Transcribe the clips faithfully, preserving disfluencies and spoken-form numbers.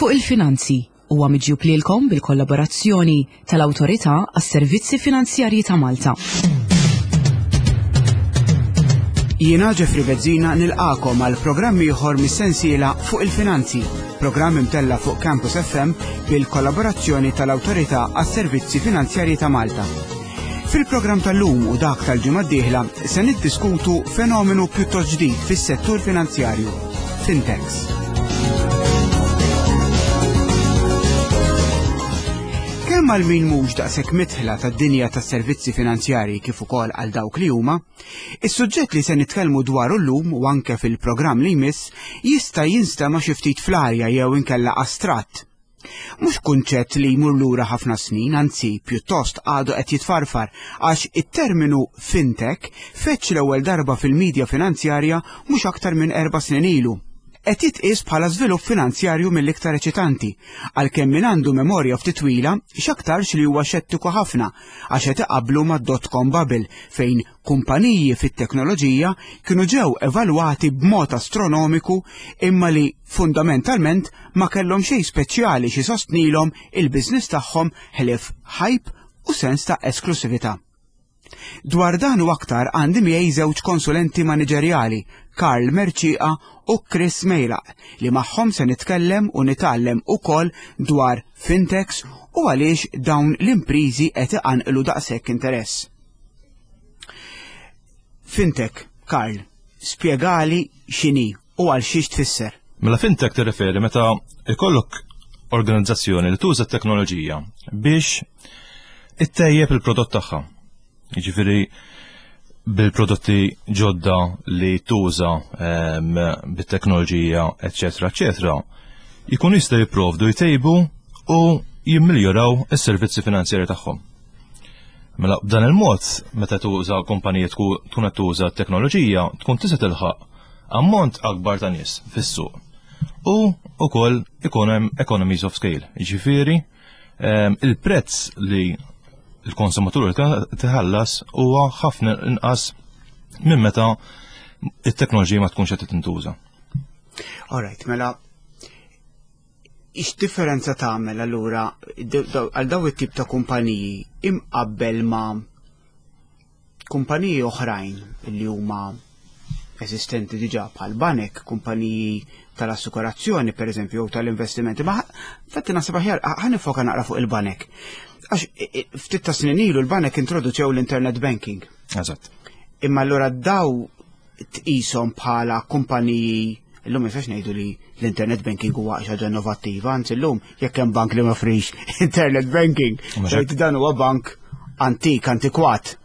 Fuq il-Finanzi huwa miġjub lilkom bil-kollaborazzjoni tal-Awtorità għas-Servizzi Finanzjarji ta' Malta. Jiena Jeffrey Bezzina nilqakom għal programm ieħor mis-sensiela Fuq il-Finanzi, programm imtella fuq Campus F M bil-kollaborazzjoni tal-Awtorità għas-Servizzi Finanzjarji ta' Malta. Fil-programm tal-lum u dak tal-ġimgħa d-dieħla se niddiskutu fenomenu pjuttost ġdid fis-settur finanzjarju, fintechs. Kemm għal min mhux daqshekk midħla tad-dinja tas-servizzi finanzjarji kif ukoll għal dawk li huma, is-suġġett li se nitkellmu dwaru llum u anke fil-programm li jmiss jista' jinstema' xi ftit fl-arja jew inkella astratt. Mhux kunċett li jmur lura ħafna snin, anzi pjuttost għadu qed jitfarfar għax it-terminu fintech feċ l-ewwel darba fil-medja finanzjarja mhux aktar minn erba' snin ilu. Qed jitqies bħala żvilupp finanzjarju mill-iktar eċitanti, għalkemm min għandu memorja ftit twila x'aktarx li huwa xettiku ħafna għax qed iqabblu mad-dot-com bubble fejn kumpaniji fit-teknoloġija kienu ġew evalwati b'mod astronomiku imma li fundamentalment ma kellhom xejn speċjali xi sostnilhom il-business tagħhom ħlief hype u sens ta' esklusività. Dwar dan u aktar għandi miegħi żewġ konsulenti maniġerjali, Karl Mercieca u Chris Mejlaq, li magħhom se nitkellem u nitgħallem ukoll dwar fintechs u għaliex dawn l-imprizi qed iqanqlu daqshekk interess. Fintech, Karl, spjegali x'inhi u għal xiex tfisser. Mela fintech tirreferi meta ikollok organizzazzjoni li tuża t-teknoloġija biex ittejjeb il-prodott tagħha. Jiġifieri bil-prodotti ġodda li tuża ehm, bit-teknoloġija, eċetera, eċetera, jkunu jistgħu jipprovdu, jtejbu u jimmiljoraw is-servizzi finanzjari tagħhom. Mela b'dan il-mod, meta tuża kumpanija tkun qed tuża t-teknoloġija, tkun tista' tilħaq ammont akbar ta' nies fis-suq. U ukoll ikun hemm economies of scale. Jiġifieri ehm, il-prezz li il-konsumatur tħallas huwa ħafna inqas minn meta it-teknoloġija ma tkunx qed tintuża. Alright, mela x'differenza tagħmel allura għal daw it-tip ta' kumpaniji imqabbel ma' kumpaniji oħrajn li huma eżistenti diġà bħal banek, kumpaniji tal-assikurazzjoni per eżempju, jew tal-investimenti, ma fatti naħseb aħjar ħa niffoka naqra fuq il-banek. Għax ftit ta' snin ilu l-banek introduċew l-internet banking. Eżatt. Imma allura daw tqishom bħala kumpaniji, illum jistax ngħidu li l-internet banking huwa xi ħaġa innovattiva, anzi llum jekk hemm bank li ma joffrix internet banking, tgħid dan huwa bank antik, antikwat.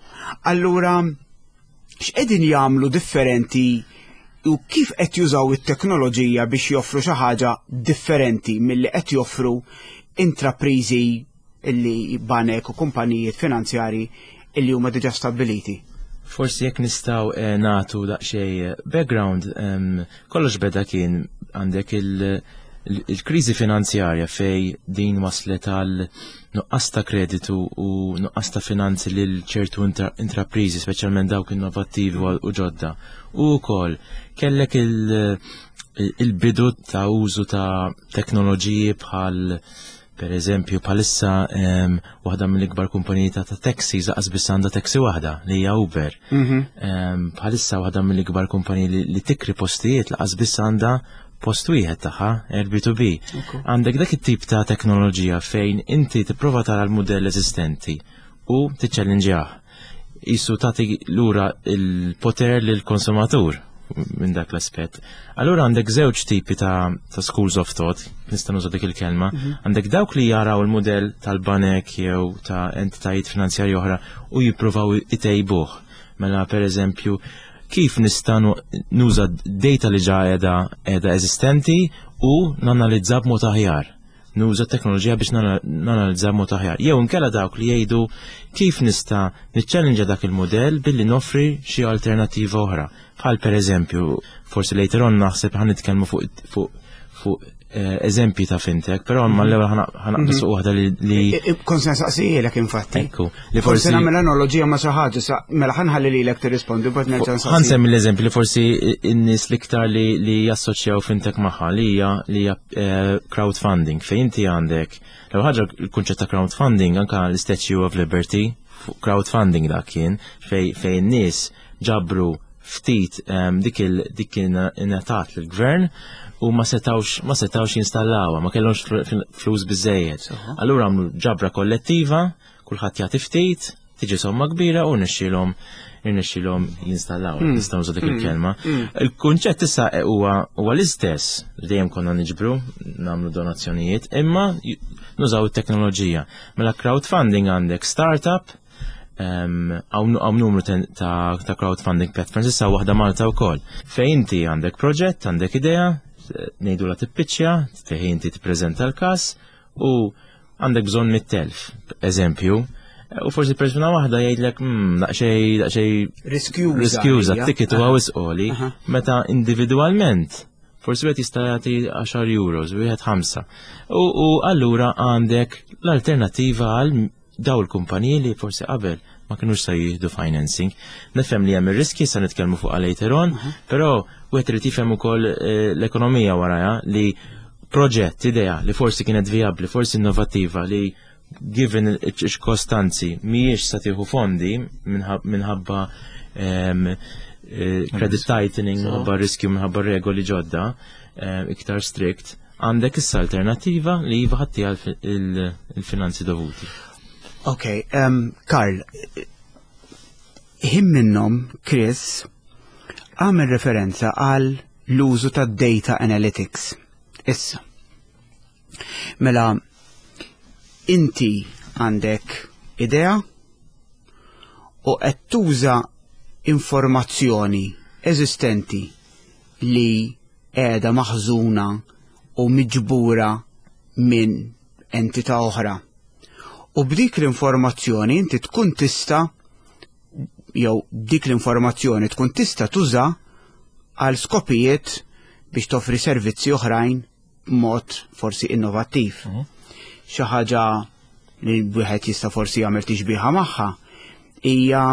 Allura x'qegħdin jagħmlu differenti u kif qed jużaw it-teknoloġija biex joffru xi ħaġa differenti milli qed joffru intraprizi illi banek u kumpanijiet finanzjari illi huma diġà stabbiliti? Forsi jekk nistgħu eh, nagħtu daqsxejn background, em, kollox beda kien għandek il- il-kriżi finanzjarja fej din waslet għal nuqqas ta' kreditu u nuqqas ta' finanzi lil ċertu intra- intraprizi, speċjalment dawk innovattivi u u ġodda. U wkoll kellek il- il-bidu ta' użu ta' teknoloġiji bħal per eżempju bħalissa em, waħda mill-ikbar kumpaniji ta' ta' taxi lanqas biss għandha taxi waħda li hija Uber. Em, Bħalissa waħda mill-ikbar kumpaniji li, li tikri postijiet lanqas biss għandha post wieħed tagħha, Airbnb. Għandek dak it-tip ta' teknoloġija fejn inti tipprova tara l-mudell eżistenti u tiċċellinġjah. Isu tagħti lura il-poter lill-konsumatur minn dak l-aspett. Allura għandek żewġ tipi ta', ta' schools of thought, nista' nuża dik il-kelma. Għandek dawk li jaraw il-mudell tal-banek jew ta' entitajiet finanzjarji oħra u jippruvaw itejbuh. Mela per eżempju, kif nista' nu- nuża data li ġa qiegħda qiegħda eżistenti u nanalizza b'mod aħjar. Nuża teknoloġija biex nana- nanalizza b'mod aħjar. Jew inkella dawk li jgħidu kif nista' niċċellinġa dak il-modell billi noffri xi alternattiva oħra. Bħal per eżempju, forsi later on naħseb ħa nitkellmu fuq fuq fuq eh, eżempji ta' fintech, però ma mhm. l-ewwel ħa naqbeż fuq waħda li. Kont se nsaqsihielek infatti. Ekku, li forsi nagħmel analoġija ma' xi ħaġa, mela ħa nħalli lilek tirrispondi bad nerġa' nsaqsi. Ħa nsemmi l-eżempju li forsi n-nies l-iktar li jassoċjaw fintech magħha li hija li hija eh, crowdfunding, fejn inti għandek l ħaġa, il-kunċett ta' crowdfunding, anka l-Statue of Liberty, crowdfunding dak kien fejn fejn nies ġabru ftit dik il dik ingħatat lill-gvern u ma setawx ma setawx jinstallawha, ma kellhomx flus biżejjed. Allura għamlu ġabra kollettiva, kulħadd jagħti ftit, tiġi somma kbira u nixxilhom irnexxilhom jinstallaw, hmm. nistgħu nuża dik hmm. il-kelma. Hmm. Il-kunċett issa huwa huwa l-istess, dejjem konna niġbru, nagħmlu donazzjonijiet, imma nużaw it-teknoloġija. Mela crowdfunding għandek startup, hawn numru ta' crowdfunding platforms, issa waħda Malta wkoll. Fejn inti għandek proġett, għandek idea, ngħidu la tippiċċja, fejn inti tippreżenta l-każ u għandek bżonn mitt elf, eżempju, u forsi persuna waħda jgħidlek, hmm, daqsxejn daqsxejn riskjuża, riskjuża, ticket huwa wisq għoli, meta individwalment forsi wieħed jista' jagħti għaxar euros, wieħed ħamsa. U allura għandek l-alternattiva għal daw il-kumpaniji li forsi qabel ma kienux sa jieħdu financing. Nifhem li hemm ir-riski, sa nitkellmu fuq later on, però wieħed irid jifhem ukoll eh, l-ekonomija warajha li proġett, idea li forsi kienet viabli, forsi innovattiva, li given iċ-ċirkostanzi mhijiex sa tieħu fondi minħabba ehm, eh, credit tightening, minħabba riskju, minħabba regoli ġodda iktar strict, għandek issa alternativa li jiva ħatti il-finanzi dovuti. Ok, um, Karl, ħin minnhom Chris għamel referenza għal l-użu ta' data analytics. Issa, mela, inti għandek idea u qed tuża informazzjoni eżistenti li qiegħda maħżuna u miġbura minn entità oħra. U b'dik l-informazzjoni inti tkun tista' jew dik l-informazzjoni tkun tista' tuża għal skopijiet biex toffri servizzi oħrajn b'mod forsi innovattiv. Mhm. Xi ħaġa li wieħed jista' forsi jagħmel tixbiha magħha hija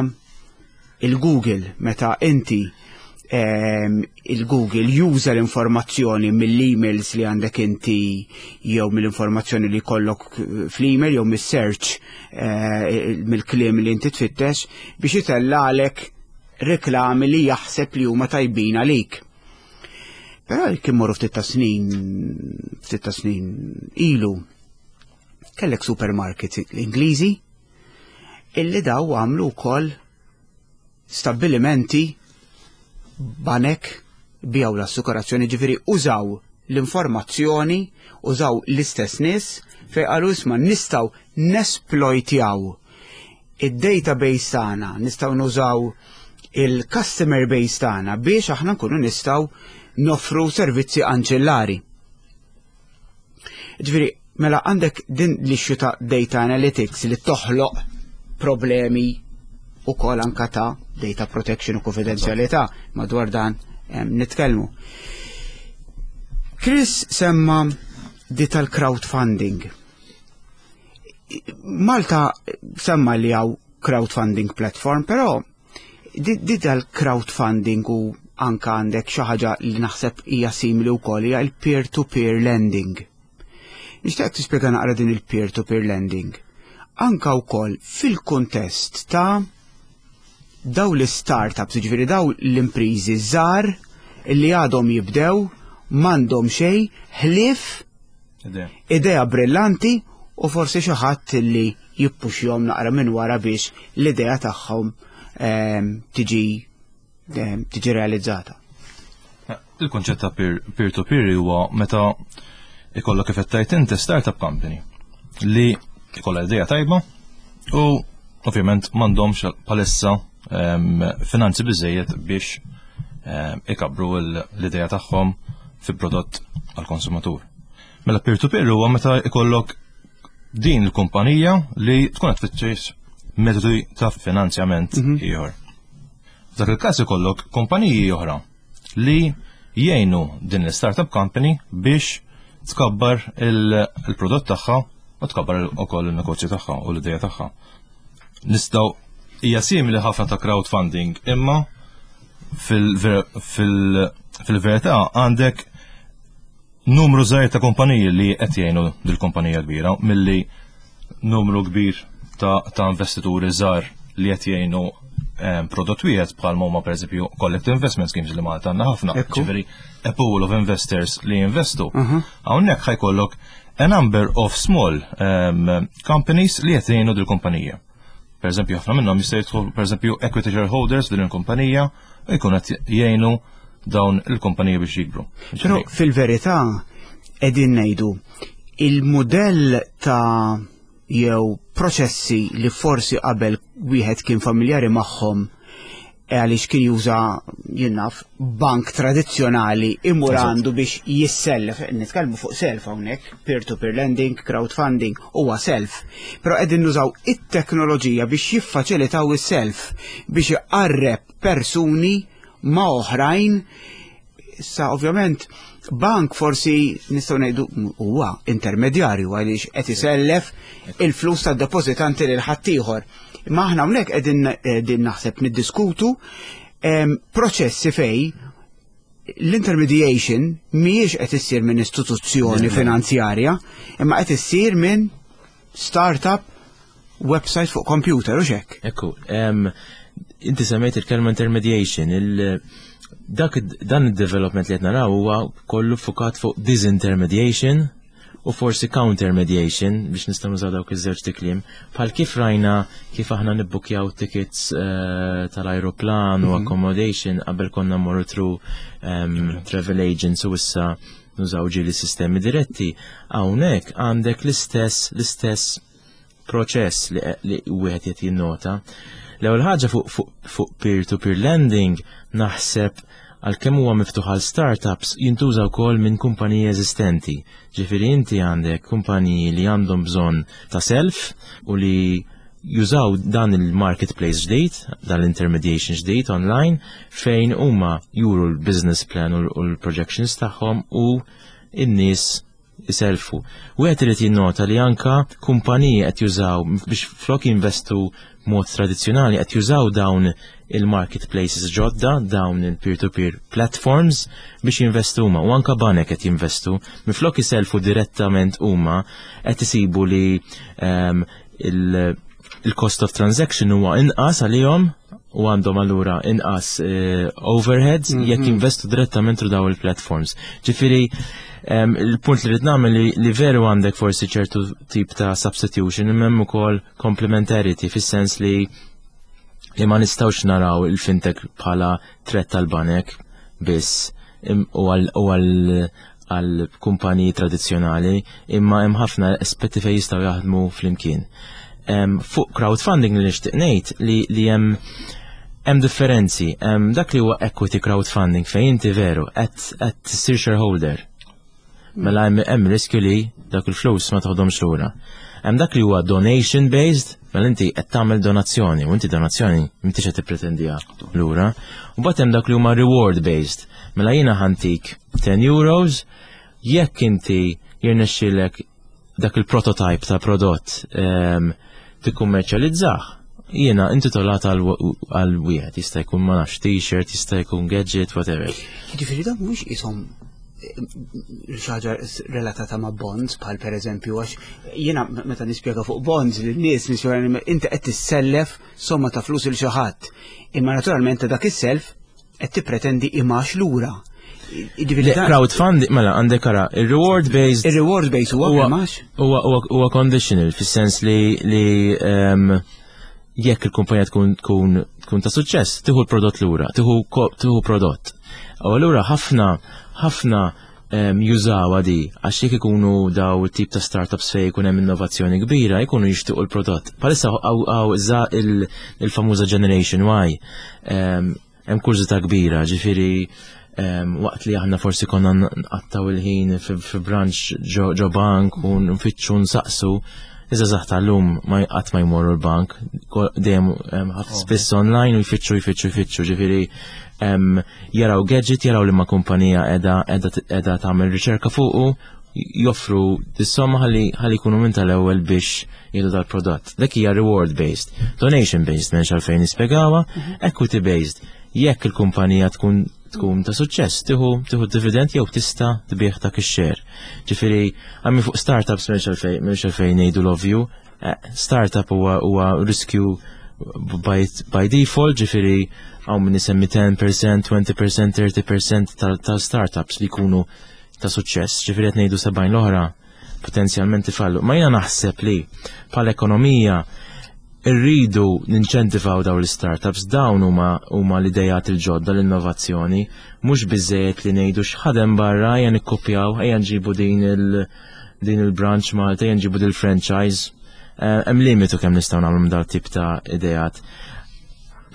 il-Google, meta inti ehm, il-Google juża l-informazzjoni mill-emails li għandek inti jew mill-informazzjoni li jkollok fl-email jew mis-search, eh, mill-kliem li inti tfittex biex itellagħlek reklami li jaħseb li huma tajbin għalik. Però kien morru ftit ta' snin, ftit ta' snin ilu, kellek supermarkets Ingliżi illi daw għamlu wkoll stabbilimenti, banek, biegħu l-assikurazzjoni, ġifieri użaw l-informazzjoni, użaw l-istess nies fejn qalu, "Isma', nistgħu nesploitjaw id-database tagħna, nistgħu nużaw il-customer base tagħna biex aħna nkunu nistgħu noffru servizzi anċillari." Ġifieri, mela għandek din l-issue ta' data analytics li toħloq problemi u kol anka ta' data protection u konfidenzjalità, madwar dan em, nitkellmu. Chris semma di tal-crowdfunding. Malta semma li hawn crowdfunding platform, però di, di tal-crowdfunding u anka għandek xi ħaġa li naħseb hija simili wkoll, hija il-peer-to-peer lending. Nixtieq tispjega naqra din il-peer-to-peer lending. Anka wkoll fil-kuntest ta' daw l-startups, ġifieri daw l-imprizi żgħar li għadhom jibdew, m'għandhom xejn ħlief Idea. idea brillanti u forsi xi ħadd li jippuxjhom naqra minn wara biex l-idea tagħhom ehm, tiġi ehm, tiġi realizzata. Il-konċett ta' peer-to-peer huwa meta ikollok, kif qed tgħid inti, startup company li ikollha idea tajba u ovvjament m'għandhomx palissa em, finanzi biżejjed biex em, ikabru l-idea tagħhom fi prodott għal-konsumatur. Mela peer-to-peer huwa meta ikollok din il-kumpanija li tkun qed tfittex metodi ta' finanzjament ieħor. F'dak il-każ ikollok kumpaniji oħra li jgħinu din l-startup company biex tkabbar il-prodott tagħha u tkabbar ukoll il-negozju tagħha u l-idea tagħha. Nistgħu hija simili ħafna ta' crowdfunding, imma fil-verità għandek numru żgħir ta' kumpaniji li qed jgħinu dil-kumpanija kbira milli numru kbir ta', ta investituri żgħar li qed jgħinu prodott wieħed, bħal huma pereżempju collective investment schemes li Malta għandna ħafna. Ġifieri a pool of investors li jinvestu. Hawnhekk ħa jkollok a number of small um, companies li qed jgħinu dil-kumpanija. Per eżempju, ħafna minnhom jista' jidħlu, per eżempju, equity shareholders din il-kumpanija u jkun qed jgħinu dawn il-kumpanija biex jikbru. Però fil-verità qegħdin ngħidu il-modell ta' jew proċessi li forsi qabel wieħed kien familjari magħhom e għaliex kien juża, jien naf, bank tradizzjonali imur għandu biex jissellef, nitkellmu fuq self hawnhekk, peer-to-peer lending, crowdfunding, huwa self. Però qegħdin nużaw it-teknoloġija biex jiffaċilitaw is-self, biex iqarreb persuni ma' oħrajn. Sa ovvjament bank forsi nistgħu ngħidu huwa intermedjarju għaliex qed isellef il-flus tad-depożitanti lil ħaddieħor. Imma aħna hawnhekk qegħdin qegħdin naħseb niddiskutu proċessi fej l-intermediation mhijiex qed issir minn istituzzjoni finanzjarja, imma qed issir minn startup website fuq computer u xek. Ekku, inti semmejt il-kelma intermediation, il dak dan il-development li qed naraw huwa kollu fukat fuq disintermediation u forsi countermediation, biex nistgħu nużaw dawk iż-żewġ kliem. Bħal kif rajna kif aħna nibbukjaw tickets uh, tal-ajruplan u mhm. accommodation, qabel konna mmorru through um, travel agents u issa nużaw ġieli sistemi diretti. Hawnhekk għandek l-istess l-istess proċess li, li wieħed qed jinnota. L-ewwel ħaġa fuq fuq fuq peer-to-peer lending, naħseb għalkemm huwa miftuħ għal startups, jintuża wkoll minn kumpaniji eżistenti. Ġifieri inti għandek kumpaniji li għandhom bżonn ta' self u li jużaw dan il-marketplace ġdid, dan l-intermediation ġdid online, fejn huma juru l-business plan u l-projections tagħhom u n-nies iselfu. Wieħed irid jinnota li anka kumpaniji qed jużaw, biex flok jinvestu mod tradizzjonali, qed jużaw dawn il-marketplaces ġodda, dawn il-peer-to-peer platforms biex jinvestu huma, u anka banek qed jinvestu minflok iselfu direttament huma, qed isibu li um, il-cost of transaction huwa inqas għalihom u għandhom allura inqas uh, overheads mm -hmm. jekk jinvestu direttament daw il-platforms. Ġifieri um, il-punt li rrid nagħmel li, li veru għandek forsi ċertu tip ta' substitution, imma hemm ukoll complementarity, fis-sens li li ma nistgħux naraw il-fintech bħala threat tal-banek biss u għal għal kumpaniji tradizzjonali, imma hemm ħafna aspetti fejn jistgħu jaħdmu flimkien. Um, fuq crowdfunding li nixtieq ngħid li li hemm hemm differenzi. Hemm dak li huwa equity crowdfunding, fejn inti veru qed qed tissir shareholder. Mela hemm hemm riskju li dak il-flus ma toħdomx lura. Hemm dak li huwa donation based, mela inti qed tagħmel donazzjoni u inti donazzjoni m'intix qed tippretendiha lura. U mbagħad hemm dak li huma reward based. Mela jiena ħa ntik ten euros jekk inti jirnexxielek dak il-prototype ta' prodott um, tikkummerċjalizzah. Jiena intitolat għal għal wieħed, jista' jkun, ma nafx, t-shirt, jista' jkun gadget, whatever. Jiġifieri dan mhuwiex qishom xi ħaġa relatata ma' bonds, bħal per eżempju, għax jiena meta nispjega fuq bonds lin-nies nispjega inti qed tissellef somma ta' flus il xi ħadd. Imma naturalment ta' dak is-self qed tippretendi imax lura. Jiġifieri dan- Crowdfunding, mela għandek ara, il-reward based Ir-reward based huwa huwa imax? huwa huwa huwa conditional fis-sens li li um, jekk il-kumpanija tkun tkun tkun ta' suċċess, tieħu l-prodott lura, tieħu ko- tieħu prodott. U allura ħafna ħafna um, jużawha di għax jekk ikunu daw tip ta' startups fejn jkun hemm innovazzjoni kbira, jkunu jixtiequ l-prodott. Bħalissa hawn za il- il-famuża Generation Y, um, hemm kurżità kbira, ġifieri um, waqt li aħna forsi konna nqattaw il-ħin fi, fi branch ġo, ġo bank u nfittxu nsaqsu, iż-żgħażagħ tal-lum ma qatt ma jmorru l-bank, ko- dejjem um, ħafna spiss online u jfittxu, jfittxu, jfittxu, ġifieri um, jaraw gadget, jaraw li ma kumpanija edha, edha, edha tagħmel riċerka fuqu, Joffru dis-somma ħalli ħalli jkunu minn tal-ewwel biex jieħdu dal-prodott. Dak hija reward based, donation based m'hemmx għalfejn nispjegawha, equity based. Jekk il-kumpanija tkun tkun ta' suċċess, tieħu tieħu dividend jew tista' tbigħ dak ix-share. Ġifieri, għammi fuq startups m'hemmx għalfejn m'hemmx għalfejn ngħidu l-ovvju. Eh, Startup huwa huwa riskju by, by default, ġifieri hawn min isemmi għaxra fil-mija, għoxrin fil-mija, tletin fil-mija tal-startups li jkunu ta' suċċess, ġifieri qed ngħidu sebgħin l-oħra potenzjalment ifallu. Ma jiena naħseb li bħala ekonomija irridu ninċentivaw dawn l-startups, dawn huma huma l-idejat il-ġodda, l-innovazzjoni, mhux biżejjed li ngħidu x'ħadem barra, ejja nikkopjaw, ejja nġibu din il din il-branch Malta, ejja nġibu din il-franchise. Eh, Hemm limitu kemm nistgħu nagħmlu minn dal tip ta' idejat.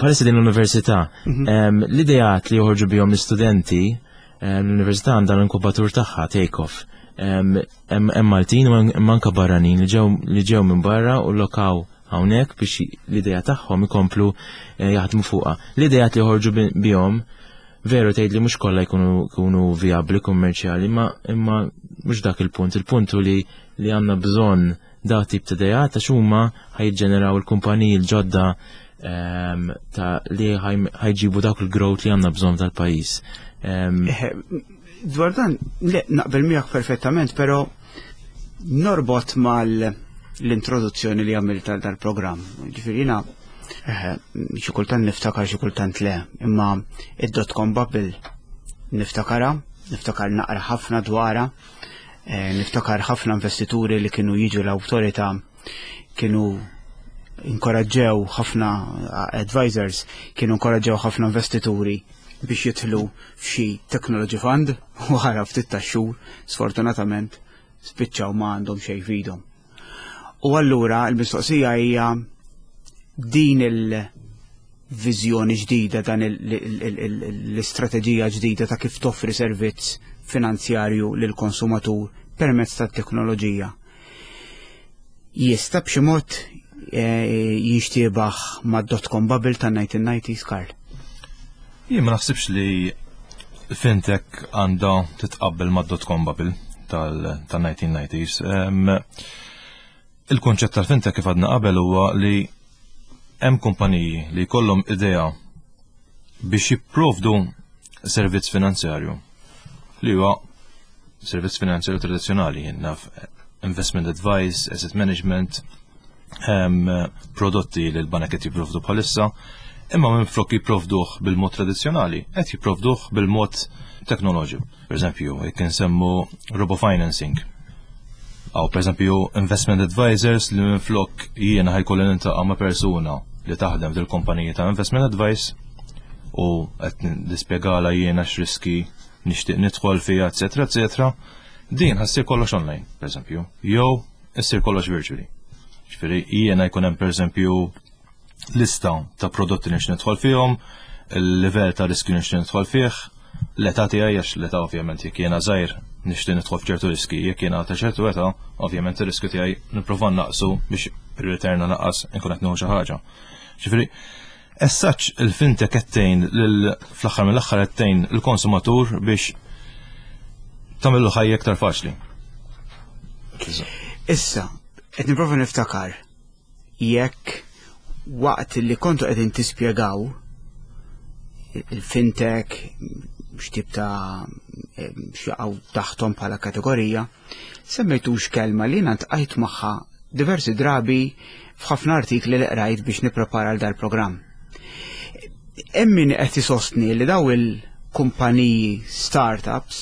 Bħalissa din l-università, em, l-idejat li joħorġu bihom l-istudenti, em, l-università għandha l-inkubatur tagħha Take Off. Em, Hemm hemm Maltin u hemm anke barranin li ġew li ġew minn barra u lokaw hawnhekk biex l-idea tagħhom ikomplu eh, jaħdmu fuqha. L-idejat li joħorġu bi- bihom veru tgħid li mhux kollha jkunu jkunu vijabbli kummerċjali, imma imma mhux dak il-punt. Il-punt hu li li għandna bżonn da tip ta' idejat għax huma ħa jiġġeneraw il-kumpaniji l-ġodda ehm, ta' li ħaj- ħa jġibu dak il-growth li għandna bżonn tal-pajjiż. Ehm, Eh, Dwar dan, le, naqbel miegħek perfettament, però norbot mal l-introduzzjoni li għamilt tal dal-programm. Ġifieri jiena, eh, xi kultant niftakar, xi kultant le, imma id-dot-com bubble niftakara, niftakar naqra ħafna dwarha, eh, niftakar ħafna investituri li kienu jiġu l-awtorità, kienu inkoraġġew ħafna advisors, kienu inkoraġġew ħafna investituri biex jidħlu f'xi technology fund u wara ftit ta' xhur sfortunatament spiċċaw ma għandhom xejn f'idhom. U allura l-mistoqsija hija din il-viżjoni ġdida, dan l-istrateġija ġdida ta' kif toffri servizz finanzjarju lil konsumatur permezz tat teknoloġija. Jista' b'xi mod eh, jinxtiebaħ mad-dot-com bubble tan-nineteen nineties, Karl? Jien ma naħsibx li fintech għandha titqabbel mad-dot-com bubble tal-nineteen nineties. Il-konċett tal-fintech, kif għadna qabel, huwa li hemm kumpaniji li jkollhom idea biex jipprovdu servizz finanzjarju li huwa servizz finanzjarju tradizzjonali, naf, investment advice, asset management, um, prodotti li l-banek qed jipprovdu bħalissa, imma minn flok jipprovduh bil-mod tradizzjonali, qed jipprovduh bil-mod teknoloġiku. Per eżempju, jekk insemmu robofinancing. Aw, per eżempju, investment advisors li minn flok jiena ħa jkolli niltaqa' ma' persuna li taħdem fil-kumpaniji ta' investment advice u qed nispjegala jiena x'riski nixtieq nidħol fiha, eċetera, eċetera. Din ħa ssir kollox online, per eżempju, jew issir kollox virtually. Ġifieri jiena jkun hemm, per eżempju, lista ta' prodotti li nixtieq nidħol fihom, il-livell ta' riskju nixtieq nidħol fih, l-età tiegħi, għax l-età ovvjament jekk jiena żgħir nixtieq nidħol f'ċertu riski, jekk jiena ta' ċertu età, ovvjament ir-riskju tiegħi nipprova naqsu biex ir-return naqas inkun qed nieħu xi ħaġa. Ġifieri, as such il-fintech qed tgħin fl-aħħar mill-aħħar qed tgħin il-konsumatur biex tagħmillu ħajja iktar faċli. Issa, qed nipprova niftakar jekk waqt li kontu qegħdin tispjegaw il-fintech, x'tip ta' x'jaqgħu taħtom bħala kategorija, semmejtux kelma li jiena ltqajt magħha diversi drabi f'ħafna artikli li qrajt biex nipprepara għal dal-programm. Hemm min qed isostni li daw il-kumpaniji startups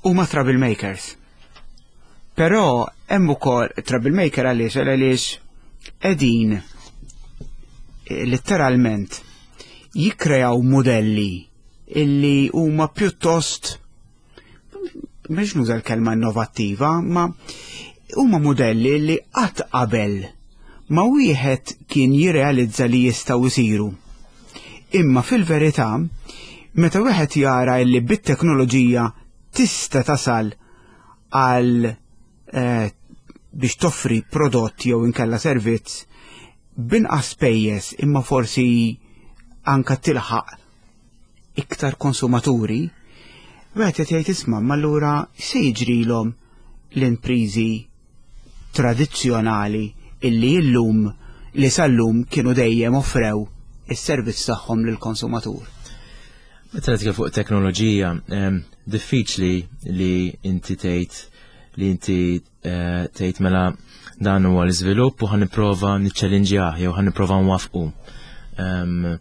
huma troublemakers. Però hemm ukoll troublemaker għaliex għaliex qegħdin eh, letteralment jikkreaw modelli illi huma pjuttost, mhux nuża l-kelma innovattiva, ma huma modelli li qatt qabel ma wieħed kien jirrealizza li jistgħu jsiru. Imma fil-verità, meta wieħed jara li bit-teknoloġija tista' tasal għal eh, biex toffri prodott jew inkella servizz binqas spejjeż imma forsi anka tilħaq iktar konsumaturi, Wieħed qed jgħid, isma', ma allura se jiġrilhom l-imprizi tradizzjonali illi illum li sal-lum kienu dejjem offrew is-servizz tagħhom lill-konsumatur? Meta nitkellem fuq teknoloġija, em, diffiċli li inti tgħid li inti eh, tgħid mela dan huwa l-iżvilupp u ħa nipprova niċċellinġjah jew ħa nipprova nwafqu. Em,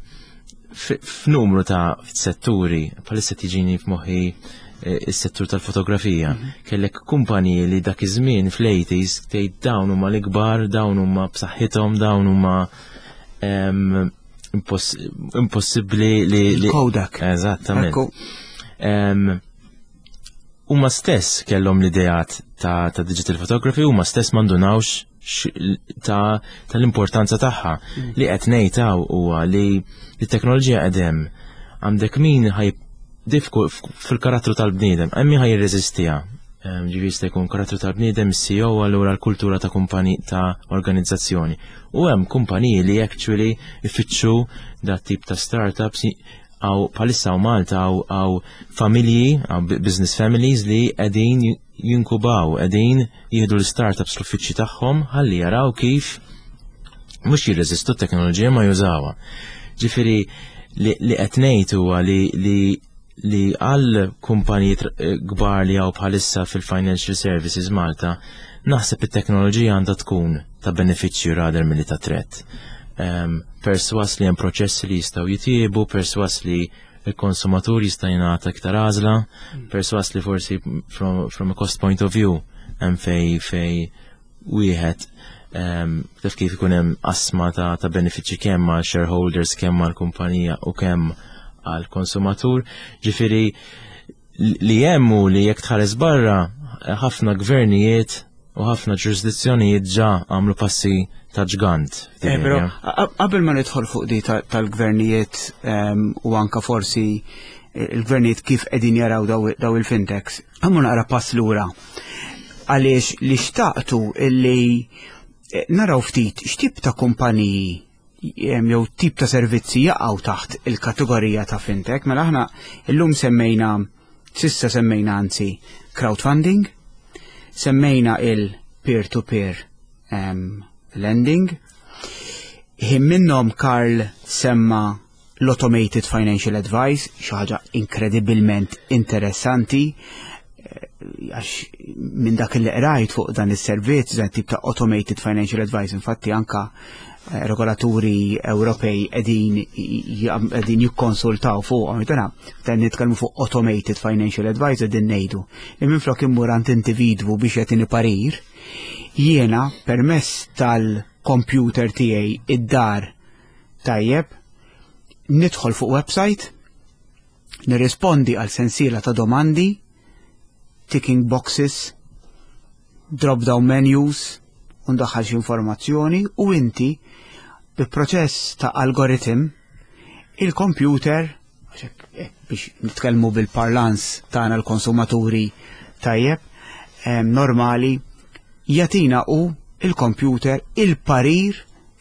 f- F'numru ta' setturi, bħalissa tiġini f'moħħi eh, is-settur tal-fotografija. Kellek kumpaniji li dak iż-żmien fl-eighties tgħid dawn huma l-ikbar, dawn huma b'saħħithom, dawn huma em, imposs- impossibbli li li Kodak. Eżattament. Ekku. Em, Huma stess kellhom l-ideat ta', ta' digital photography, huma stess m'indunawx x- ta' tal-importanza tagħha. Li qed ngħid hawn huwa li t-teknoloġija qegħdem għandek min ħaj difku fil-karattru tal-bniedem, hemm min ħaj jirreżistiha. Em, Ġifieri jista' jkun karattru tal-bniedem, C E O, allura l-kultura ta' kumpani ta' organizzazzjoni. U hemm kumpaniji li actually ifittxu dat tip ta' startups għaw palissa u Malta għaw għaw familji, għaw business families li qegħdin jinkubaw, qegħdin jieħdu l-startups l-uffiċċji tagħhom ħalli jaraw kif mhux jirreżistu t-teknoloġija ma jużawha. Ġifieri li, li qed ngħid huwa li li li għal kumpaniji eh, kbar li għaw bħalissa fil-financial services Malta, naħseb it-teknoloġija għandha tkun ta' benefiċċju rather milli ta' threat. Um, perswas li hemm proċessi li jistgħu jitjiebu, perswas li il-konsumatur jista' jingħata iktar għażla, perswas li forsi from, from a cost point of view hemm fej fej wieħed um, taf kif ikun hemm qasma ta', ta' benefiċċji kemm għal shareholders, kemm għal kumpanija u kemm għal konsumatur. Ġifieri li hemm hu li jekk tħares barra, ħafna gvernijiet u ħafna ġurisdizzjonijiet ġa għamlu passi ta' ġgant. Eh, però qabel ma nidħol fuq di tal-gvernijiet u anka forsi eh, il-gvernijiet kif qegħdin jaraw daw il-fintechs, għammu naqra pass lura. Għaliex li xtaqtu illi eh, naraw ftit x'tip ta' kumpaniji jew tip ta' servizzi jaqgħu taħt il-kategorija ta' fintech, mela aħna illum semmejna, sissa semmejna anzi, crowdfunding, semmejna il-peer-to-peer um, lending, ħin minnhom Karl semma l-automated financial advice, xi ħaġa inkredibilment interessanti, eh, għax minn dak li qrajt fuq dan is-servizz, dan tip ta' automated financial advice, infatti anka eh, regolaturi Ewropej qegħdin qegħdin jikkonsultaw fuq dana, dan nitkellmu fuq automated financial advice, qegħdin ngħidu li minflok immur għand individwu biex jagħtini parir, jiena permezz tal-computer tiegħi id-dar, tajjeb, nidħol fuq website, nirrispondi għal sensiela ta' domandi, ticking boxes, drop down menus, u ndaħħal xi informazzjoni u inti bi proċess ta' algoritm il-computer, eh, biex nitkellmu bil-parlance tagħna l-konsumaturi, tajjeb, normali, jagħtina u il-computer il-parir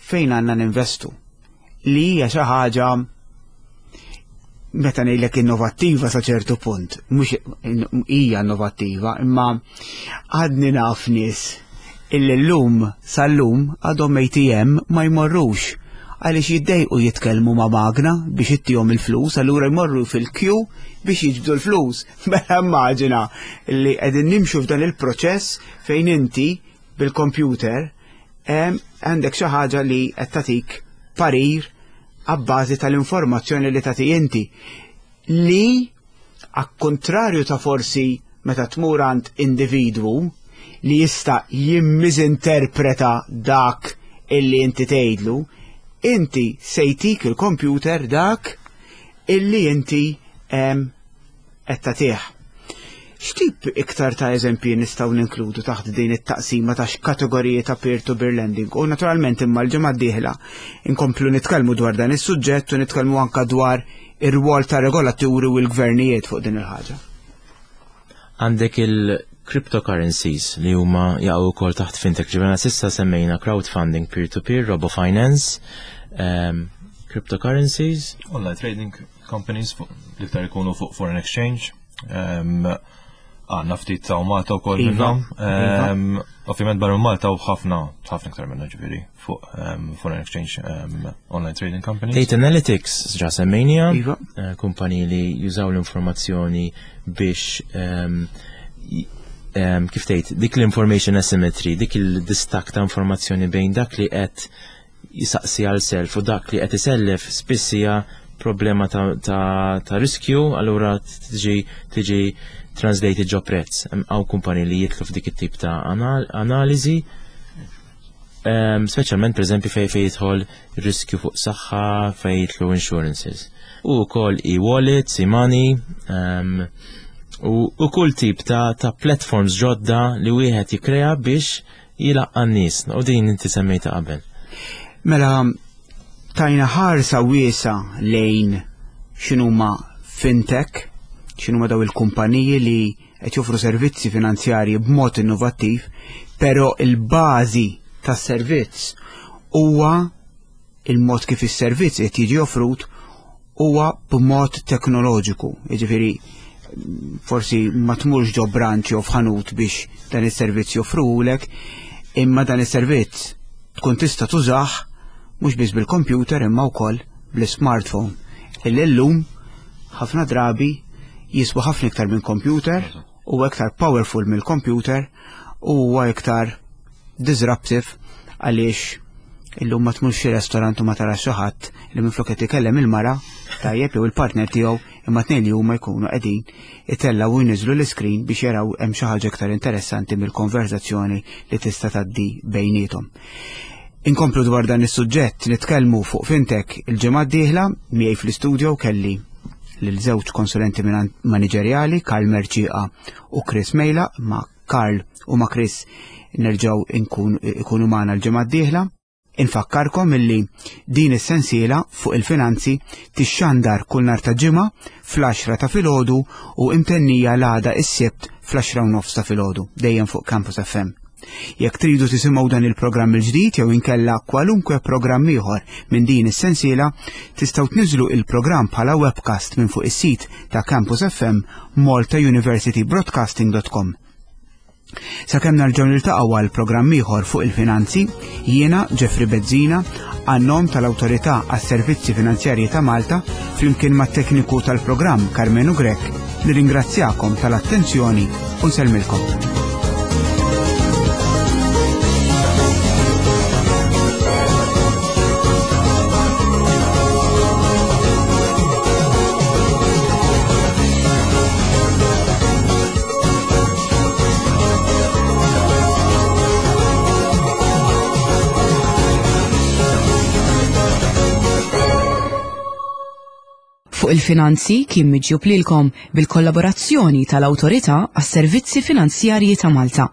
fejn għandna ninvestu, li hija xi ħaġa, meta ngħidlek, innovattiva sa ċertu punt, mhux hija innovattiva, imma għadni naf nies illi llum sal-lum għadhom A T M ma jmorrux għaliex jiddejqu jitkellmu ma' magna biex ittihom il-flus, allura jmorru fil-queue biex jiġbdu l-flus. Mela immaġina li qegħdin nimxu f'dan il-proċess fejn inti bil-computer għandek xi ħaġa li qed tagħtik parir abbażi tal-informazzjoni li tagħti inti, li għal-kontrarju ta' forsi meta tmur għand individwu li jista' jimmisinterpreta dak illi inti tgħidlu, inti se jtik il-computer dak illi inti qed tagħtih. X'tip iktar ta' eżempji nistgħu ninkludu taħt din it-taqsima ta' kategoriji ta' peer-to-peer lending? U naturalment imma l-ġimgħa d-dieħla inkomplu nitkellmu dwar dan is-suġġett u nitkellmu anka dwar ir-rwol ta' regolaturi u l-gvernijiet fuq din il-ħaġa. Għandek il-cryptocurrencies li huma jaqgħu wkoll taħt fintech. Ġifieri s'issa semmejna crowdfunding, peer-to-peer, robo-finance, um, cryptocurrencies. Online trading companies, l-iktar ikunu fuq foreign exchange. Għandna ftit ta' Malta wkoll Iva, minnhom. iva. Em, Ovvjament barra minn Malta u ħafna, ħafna iktar minna ġifieri fuq em, foreign exchange em, online trading companies. Data Analytics, ġa semmejnija, Iva. eh, kumpaniji li jużaw l-informazzjoni biex ehm, j- ehm, kif tgħid, dik l-information asymmetry, dik il-distak ta' informazzjoni bejn dak li qed jisaqsi għal self u dak li qed isellef spiss hija problema ta', ta, ta' riskju, allura tiġi tiġi translated ġo prezz. Hemm hawn kumpaniji li jidħlu f'dik it-tip ta' anal analiżi. Um, speċjalment per eżempju fej fej jidħol riskju fuq saħħa, fej jidħlu insurances. U wkoll e-wallets, e-money, um, u, u kull tip ta', ta' platforms ġodda li wieħed jikrea biex jilaqqa n-nies. U din inti semmejta qabel. Mela, tajna ħarsa wiesa lejn x'inhuma fintech, x'inhuma daw il-kumpaniji li qed joffru servizzi finanzjarji b'mod innovattiv, però il-bażi tas-servizz huwa il-mod kif is-servizz qed jiġi offrut huwa b'mod teknoloġiku. Jiġifieri forsi ma tmurx ġo branch jew f'ħanut biex dan is-servizz joffruhulek, imma dan is-servizz tkun tista' tużah mhux biss bil-computer imma wkoll bl-smartphone. Illi llum ħafna drabi jiswa ħafna iktar minn computer u iktar powerful mill-computer u huwa iktar disruptive għaliex illum ma tmurx xi restorant u ma tarax xi ħadd li minflok qed ikellem il-mara tajjeb jew il-partner tiegħu imma tnejn li huma jkunu qegħdin itellgħu u jniżlu l-iskrin biex jaraw hemm xi ħaġa iktar interessanti mill-konverzazzjoni li tista' tgħaddi bejniethom. Inkomplu dwar dan is-suġġett nitkellmu fuq fintech il-ġimgħa d-dieħla. Miegħi fl-istudio kelli lil żewġ konsulenti maniġerjali, Karl Merċiqa u Chris Mejla. Ma' Karl u ma' Chris nerġgħu ikunu magħna l-ġimgħa d-dieħla. Infakkarkom illi din is-sensiela fuq il-finanzi tixxandar kull nhar ta' Ġimgħa fl-għaxra ta' filgħodu u imtennija l-għada is-Sibt fl-għaxra u nofs ta' filgħodu, dejjem fuq Campus F M. Jekk tridu tisimgħu dan il-programm il-ġdid jew inkella kwalunkwe programm ieħor minn din is-sensiela, tistgħu tniżlu il-programm bħala webcast minn fuq is-sit ta' Campus F M, malta university broadcasting dot com. Sakemm nerġgħu niltaqgħu għal programm ieħor fuq il-finanzi, jiena Jeffrey Bezzina, għan-nom tal-Awtorità għas-Servizzi Finanzjarji ta' Malta, flimkien mat-tekniku tal-programm Carmenu Grek, nirringrazzjakom tal-attenzjoni u nsellmilkom. Fuq il-finanzi kien miġjub lilkom bil-kollaborazzjoni tal-Awtorità għas-Servizzi Finanzjarji ta' Malta.